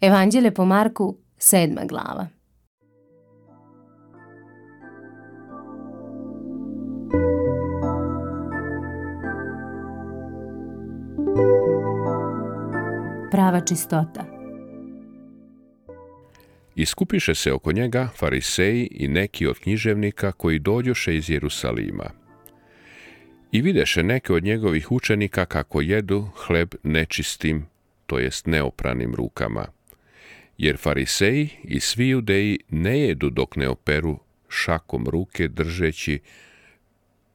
Evanđelje po Marku, 7. glava. Prava čistota. Iskupiše se oko njega fariseji i neki od književnika koji dođoše iz Jerusalima. I videše neke od njegovih učenika kako jedu hleb nečistim, to jest neopranim rukama. Jer fariseji i svi judeji ne jedu dok ne operu šakom ruke držeći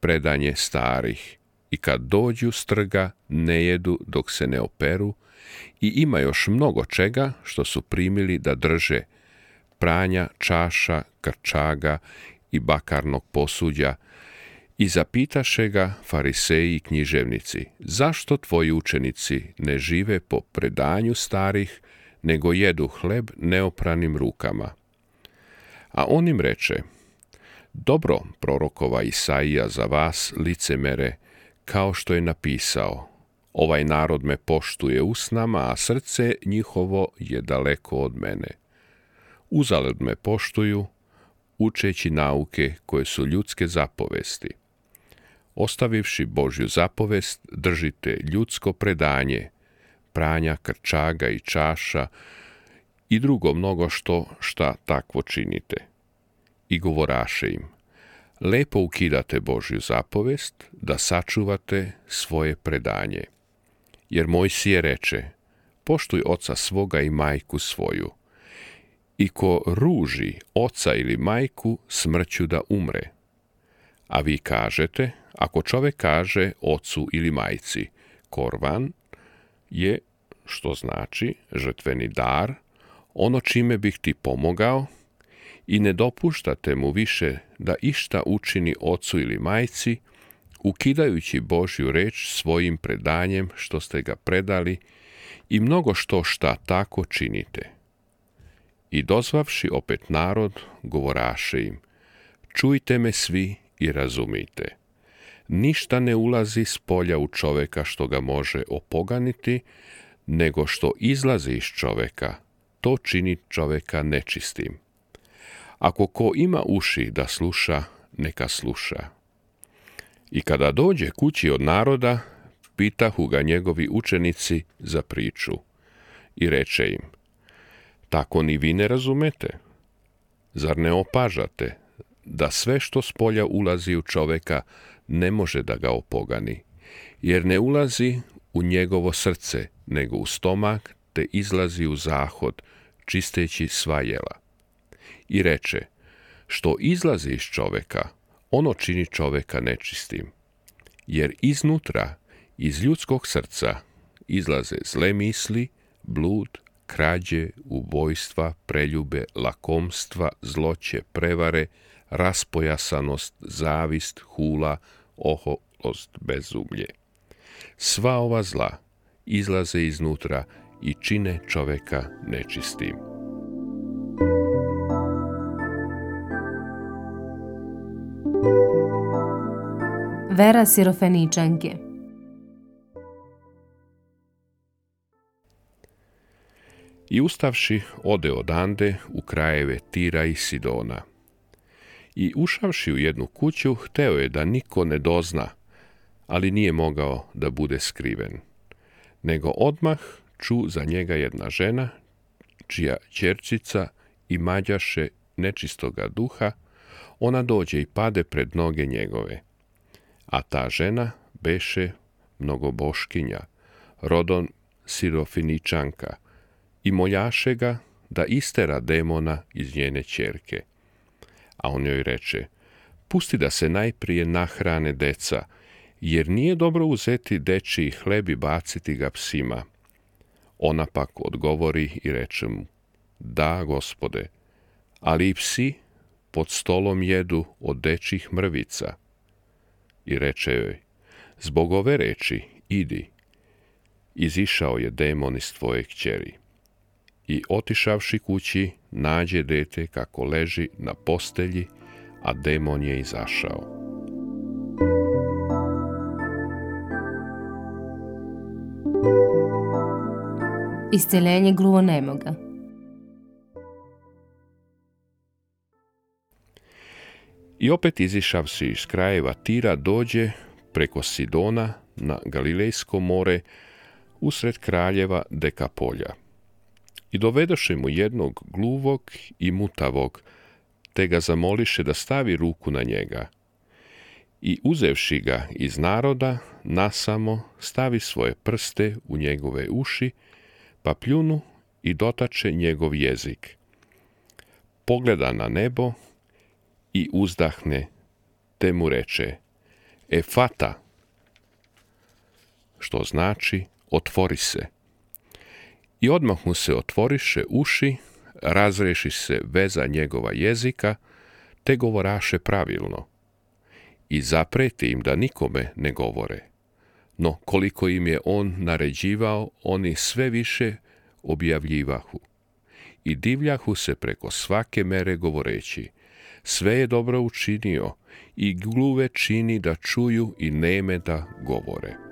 predanje starih. I kad dođu s trga ne jedu dok se ne operu i ima još mnogo čega što su primili da drže, pranja, čaša, krčaga i bakarnog posuđa. I zapitaše ga fariseji i književnici, zašto tvoji učenici ne žive po predanju starih, nego jedu hleb neopranim rukama? A on im reče, dobro prorokova Isaija za vas, licemere, kao što je napisao, ovaj narod me poštuje usnama, a srce njihovo je daleko od mene. Uzalud me poštuju, učeći nauke koje su ljudske zapovesti. Ostavivši Božju zapovest, držite ljudsko predanje, pranja, krčaga i čaša i drugo mnogo šta takvo činite. I govoraše im, lepo ukidate Božju zapovest da sačuvate svoje predanje. Jer Mojsije reče, poštuj oca svoga i majku svoju. I ko ruži oca ili majku, smrću da umre. A vi kažete, ako čovjek kaže ocu ili majci, korvan je, što znači žrtveni dar, ono čime bih ti pomogao, i ne dopuštate mu više da išta učini ocu ili majci, ukidajući Božju reč svojim predanjem što ste ga predali i mnogo šta tako činite. I dozvavši opet narod, govoraše im, čujte me svi i razumijte. Ništa ne ulazi s polja u čoveka što ga može opoganiti, nego što izlazi iz čoveka, to čini čoveka nečistim. Ako ko ima uši da sluša, neka sluša. I kada dođe kući od naroda, pitahu ga njegovi učenici za priču. I reče im, tako ni vi ne razumete? Zar ne opažate da sve što s polja ulazi u čoveka ne može da ga opogani, jer ne ulazi u njegovo srce, nego u stomak, te izlazi u zahod, čisteći sva jela. I reče, što izlazi iz čoveka, ono čini čoveka nečistim, jer iznutra, iz ljudskog srca, izlaze zle misli, blud, krađe, ubojstva, preljube, lakomstva, zloće, prevare, raspojasanost, zavist, hula, oholost, bezumlje. Sva ova zla izlaze iznutra i čine čoveka nečistim. Vera Sirofeničanke. I ustavši, ode odande u krajeve Tira i Sidona. I ušavši u jednu kuću, hteo je da niko ne dozna, ali nije mogao da bude skriven. Nego odmah ču za njega jedna žena, čija ćerčica imađaše nečistoga duha, ona dođe i pade pred noge njegove. A ta žena beše mnogoboškinja, rodom Sirofeničanka, i moljaše ga da istera demona iz njene ćerke. A on joj reče, pusti da se najprije nahrane deca, jer nije dobro uzeti dečiji hleb i baciti ga psima. Ona pak odgovori i reče mu, da, Gospode, ali i psi pod stolom jedu od dečjih mrvica. I reče joj, zbog ove reči, idi. Izišao je demon iz tvoje kćeri. I otišavši kući, nađe dete kako leži na postelji, a demon je izašao. Isceljenje gluvonemoga. I opet izišavši iz krajeva Tira dođe preko Sidona na Galilejsko more usred kraljeva Dekapolja. I dovedoše mu jednog gluvog i mutavog, te ga zamoliše da stavi ruku na njega. I uzevši ga iz naroda, nasamo stavi svoje prste u njegove uši, pa pljunu i dotače njegov jezik. Pogleda na nebo i uzdahne, te mu reče: Efata, što znači otvori se. I odmah mu se otvoriše uši, razreši se veza njegova jezika, te govoraše pravilno. I zapreti im da nikome ne govore. No koliko im je on naređivao, oni sve više objavljivahu. I divljahu se preko svake mere govoreći: sve je dobro učinio, i gluve čini da čuju i neme da govore.